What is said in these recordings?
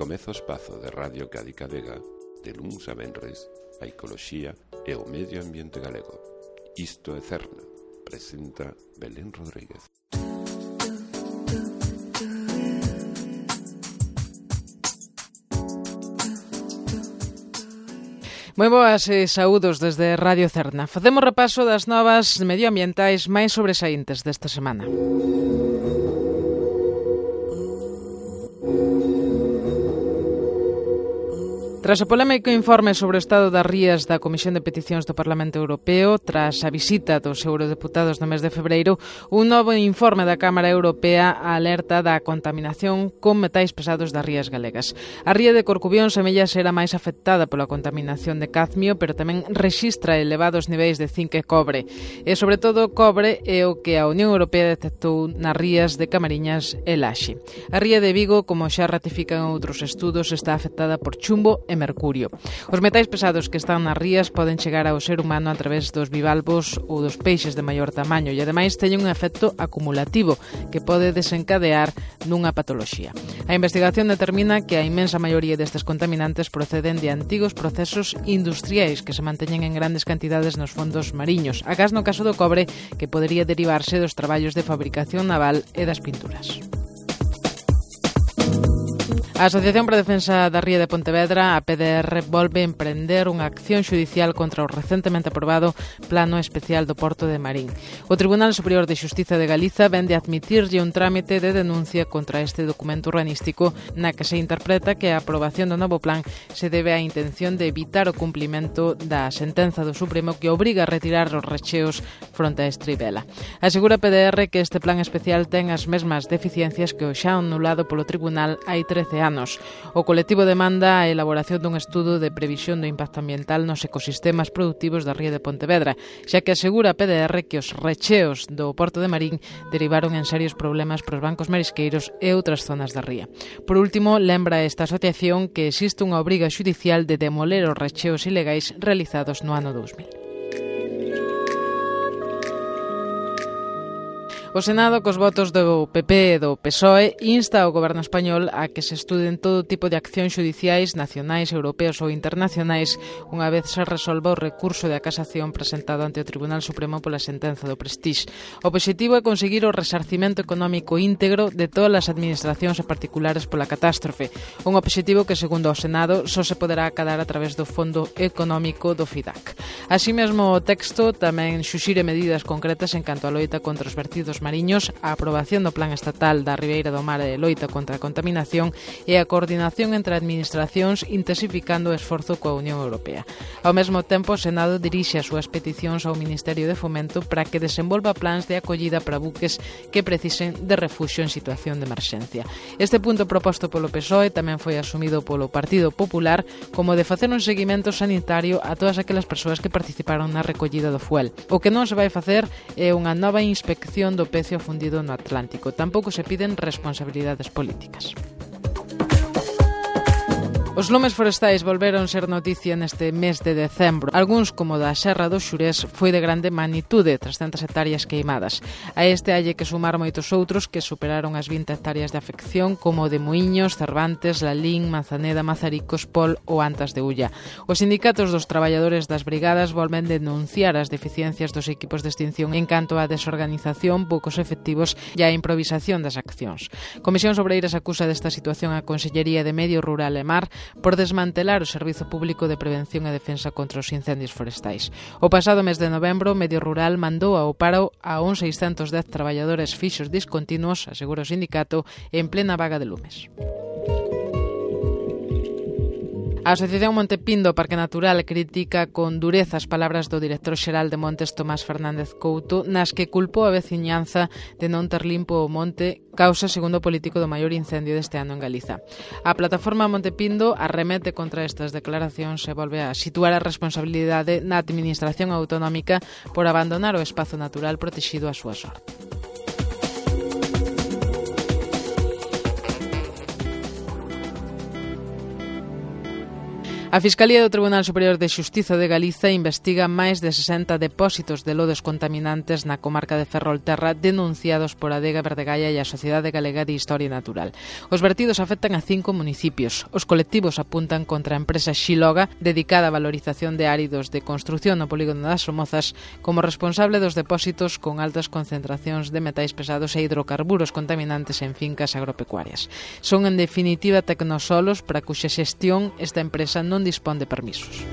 Comeza o espazo de Radio Cádiz Vega, de luns a venres, a ecoloxía e o medio ambiente galego. Isto é Cerna, presenta Belén Rodríguez. Moi boas e saúdos desde Radio Cerna. Facemos repaso das novas medioambientais máis sobresaíntes desta semana. Tras o polémico informe sobre o estado das rías da Comisión de Peticións do Parlamento Europeo, tras a visita dos eurodeputados no mes de febreiro, un novo informe da Cámara Europea alerta da contaminación con metais pesados das rías galegas. A ría de Corcubión semella ser a máis afectada pola contaminación de cadmio, pero tamén rexistra elevados niveis de zinc e cobre. E, sobre todo, cobre é o que a Unión Europea detectou nas rías de Camariñas e Laxe. A ría de Vigo, como xa ratifican outros estudos, está afectada por chumbo e mercurio. Os metais pesados que están nas rías poden chegar ao ser humano a través dos bivalvos ou dos peixes de maior tamaño e, ademais, teñen un efecto acumulativo que pode desencadear nunha patoloxía. A investigación determina que a inmensa maioría destes contaminantes proceden de antigos procesos industriais que se manteñen en grandes cantidades nos fondos mariños, agás no caso do cobre, que podería derivarse dos traballos de fabricación naval e das pinturas. A Asociación para a Defensa da Ría de Pontevedra, a PDR, volve a emprender unha acción xudicial contra o recentemente aprobado Plano Especial do Porto de Marín. O Tribunal Superior de Xustiza de Galiza vende a admitirlle un trámite de denuncia contra este documento urbanístico na que se interpreta que a aprobación do novo plan se debe á intención de evitar o cumplimento da sentenza do Supremo que obriga a retirar os recheos fronte a Estribela. Asegura a PDR que este plan especial ten as mesmas deficiencias que o xa anulado polo Tribunal hai 13 anos. O colectivo demanda a elaboración dun estudo de previsión do impacto ambiental nos ecosistemas productivos da ría de Pontevedra, xa que asegura a PDR que os recheos do Porto de Marín derivaron en serios problemas para os bancos marisqueiros e outras zonas da ría. Por último, lembra esta asociación que existe unha obriga xudicial de demoler os recheos ilegais realizados no ano 2000. O Senado, cos votos do PP e do PSOE, insta ao Goberno español a que se estuden todo tipo de accións xudiciais nacionais, europeos ou internacionais unha vez se resolva o recurso de casación presentado ante o Tribunal Supremo pola sentenza do Prestige. O obxectivo é conseguir o resarcimento económico íntegro de todas as administracións e particulares pola catástrofe, un obxectivo que, segundo o Senado, só se poderá acadar a través do Fondo Económico do FIDAC. Así mesmo, o texto tamén xuxire medidas concretas en canto á loita contra os vertidos mariños, a aprobación do Plan Estatal da Ribeira do Mar e loita contra a contaminación e a coordinación entre administracións intensificando o esforzo coa Unión Europea. Ao mesmo tempo, o Senado dirixe as súas peticións ao Ministerio de Fomento para que desenvolva plans de acollida para buques que precisen de refuxio en situación de emerxencia. Este punto proposto polo PSOE tamén foi asumido polo Partido Popular como de facer un seguimento sanitario a todas aquelas persoas que participaron na recollida do fuel. O que non se vai facer é unha nova inspección do pecio fundido no Atlántico. Tampouco se piden responsabilidades políticas. Os lumes forestais volveron ser noticia neste mes de decembro. Algúns, como da Serra do Xurés, foi de grande magnitude, 300 hectáreas queimadas. A este halle que sumar moitos outros que superaron as 20 hectáreas de afección, como de Muíños, Cervantes, Lalín, Manzaneda, Mazaricos, Pol ou Antas de Ulla. Os sindicatos dos traballadores das brigadas volven denunciar as deficiencias dos equipos de extinción en canto á desorganización, poucos efectivos e á improvisación das accións. Comisións Obreiras acusa desta situación a Consellería de Medio Rural e Mar por desmantelar o Servizo Público de Prevención e Defensa contra os Incendios Forestais. O pasado mes de novembro, Medio Rural mandou ao paro a uns 610 traballadores fixos discontinuos, asegura o sindicato, en plena vaga de lumes. A Asociación Monte Pindo Parque Natural critica con dureza as palabras do director xeral de Montes, Tomás Fernández Couto, nas que culpou a veciñanza de non ter limpo o monte, causa, segundo o político, do maior incendio deste ano en Galiza. A plataforma Monte Pindo arremete contra estas declaracións e volve a situar a responsabilidade na administración autonómica por abandonar o espazo natural protexido á súa sorte. A Fiscalía do Tribunal Superior de Xustiza de Galiza investiga máis de 60 depósitos de lodos contaminantes na comarca de Ferrolterra denunciados por Adega Verdegaia e a Sociedade Galega de Historia Natural. Os vertidos afectan a 5 municipios. Os colectivos apuntan contra a empresa Xiloga, dedicada á valorización de áridos de construción no polígono das Somozas, como responsable dos depósitos con altas concentracións de metais pesados e hidrocarburos contaminantes en fincas agropecuarias. Son, en definitiva, tecnosolos para cuxa xestión esta empresa non dispón de permisos.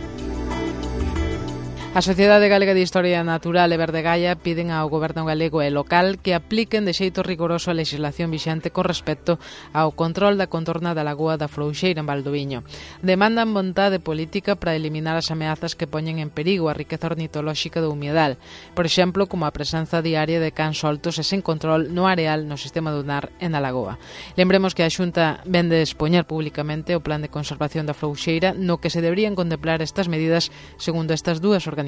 A Sociedade Galega de Historia Natural e Verdegaia piden ao Goberno galego e local que apliquen de xeito rigoroso a legislación vixente con respecto ao control da contorna da Lagoa da Frouxeira en Valdoviño. Demandan vontade política para eliminar as ameazas que poñen en perigo a riqueza ornitolóxica do humedal, por exemplo, como a presenza diaria de cans soltos e sen control no areal no sistema dunar e na lagoa. Lembremos que a Xunta vende expoñer públicamente o plan de conservación da Frouxeira no que se deberían contemplar estas medidas segundo estas dúas organizacións.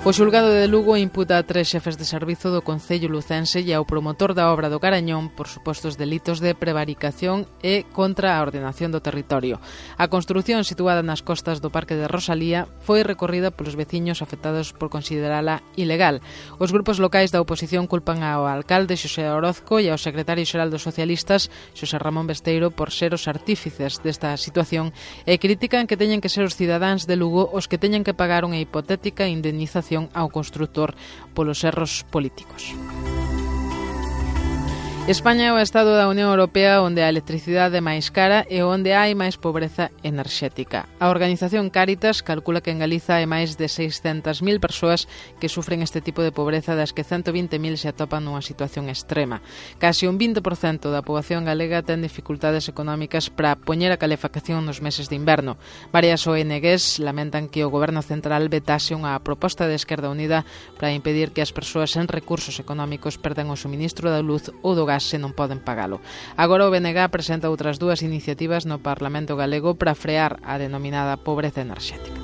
O xulgado de Lugo imputa a 3 xefes de servizo do Concello lucense e ao promotor da obra do Carañón por supostos delitos de prevaricación e contra a ordenación do territorio. A construción situada nas costas do Parque de Rosalía foi recorrida polos veciños afectados por considerala ilegal. Os grupos locais da oposición culpan ao alcalde Xosé Orozco e ao secretario xeral dos socialistas Xosé Ramón Besteiro por ser os artífices desta situación e critican que teñen que ser os cidadáns de Lugo os que teñen que pagar unha hipotética indemnización ao construtor polos erros políticos. España é o estado da Unión Europea onde a electricidade é máis cara e onde hai máis pobreza enerxética. A organización Cáritas calcula que en Galiza hai máis de 600.000 persoas que sufren este tipo de pobreza, das que 120.000 se atopan nunha situación extrema. Casi un 20% da poboación galega ten dificultades económicas para poñer a calefacción nos meses de inverno. Varias ONGs lamentan que o Goberno Central vetase unha proposta de Esquerda Unida para impedir que as persoas sen recursos económicos perdan o suministro da luz ou do gas se non poden pagalo. Agora o BNG presenta outras 2 iniciativas no Parlamento galego para frear a denominada pobreza enerxética.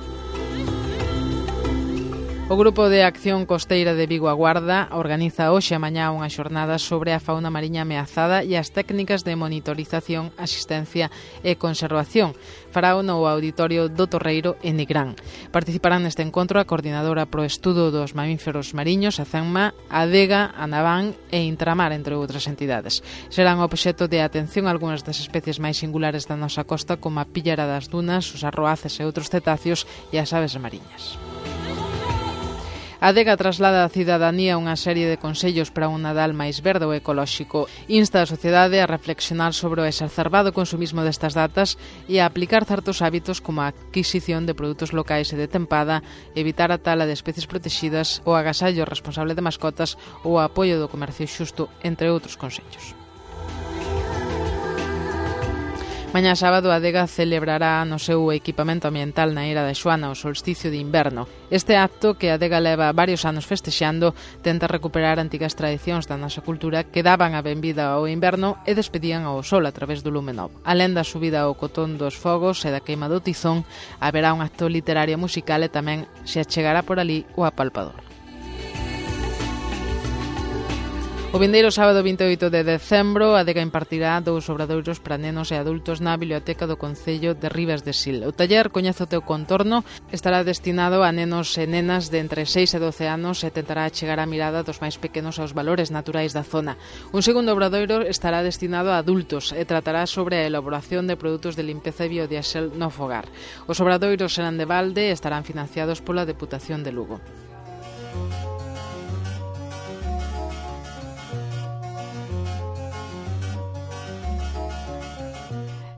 O Grupo de Acción Costeira de Vigo Aguarda organiza hoxe e mañá unha xornada sobre a fauna mariña ameazada e as técnicas de monitorización, asistencia e conservación. Farao no Auditorio do Torreiro en Nigrán. Participarán neste encontro a Coordinadora pro Estudo dos Mamíferos Mariños, a CENMA, a Adega, a Naván e Intramar, entre outras entidades. Serán obxecto de atención algunhas das especies máis singulares da nosa costa, como a píllara das dunas, os arroaces e outros cetáceos e as aves mariñas. A Adega traslada á cidadanía unha serie de consellos para un Nadal máis verde ou ecolóxico. Insta a sociedade a reflexionar sobre o exacerbado consumismo destas datas e a aplicar certos hábitos como a adquisición de produtos locais e de tempada, evitar a tala de especies protegidas, o agasallo responsable de mascotas ou o apoio do comercio xusto, entre outros consellos. Mañá sábado a Adega celebrará no seu equipamento ambiental na Eira da Xoana o solsticio de inverno. Este acto, que a Adega leva varios anos festexando, tenta recuperar antigas tradicións da nosa cultura que daban a benvida ao inverno e despedían ao sol a través do lume novo. Alén da subida ao cotón dos fogos e da queima do tizón, haberá un acto literario musical e tamén se achegará por ali o apalpador. O vindeiro sábado 28 de decembro, a Adega impartirá 2 obradoiros para nenos e adultos na Biblioteca do Concello de Ribas de Sil. O taller Coñece o teu contorno estará destinado a nenos e nenas de entre 6 e 12 anos e tentará chegar a mirada dos máis pequenos aos valores naturais da zona. Un segundo obradoiro estará destinado a adultos e tratará sobre a elaboración de produtos de limpeza e biodiesel no fogar. Os obradoiros serán de balde e estarán financiados pola Deputación de Lugo.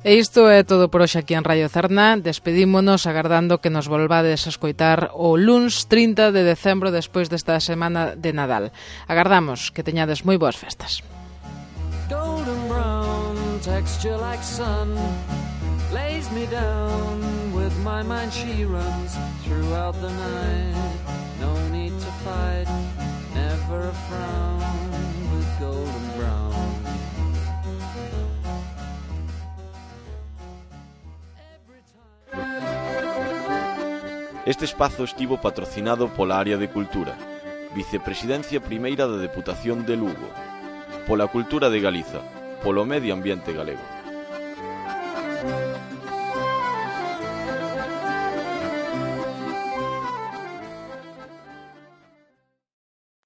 E isto é todo por hoxe aquí en Radio Cerna. Despedímonos agardando que nos volvades a escoitar o luns 30 de decembro despois desta semana de Nadal. Agardamos que teñades moi boas festas. Golden brown texture like sun lays me down with my mind she runs throughout the night. No need to fight, never a frown with golden brown. Este espazo estivo patrocinado pola Área de Cultura, Vicepresidencia Primeira da Deputación de Lugo, pola Cultura de Galiza, polo medio ambiente galego.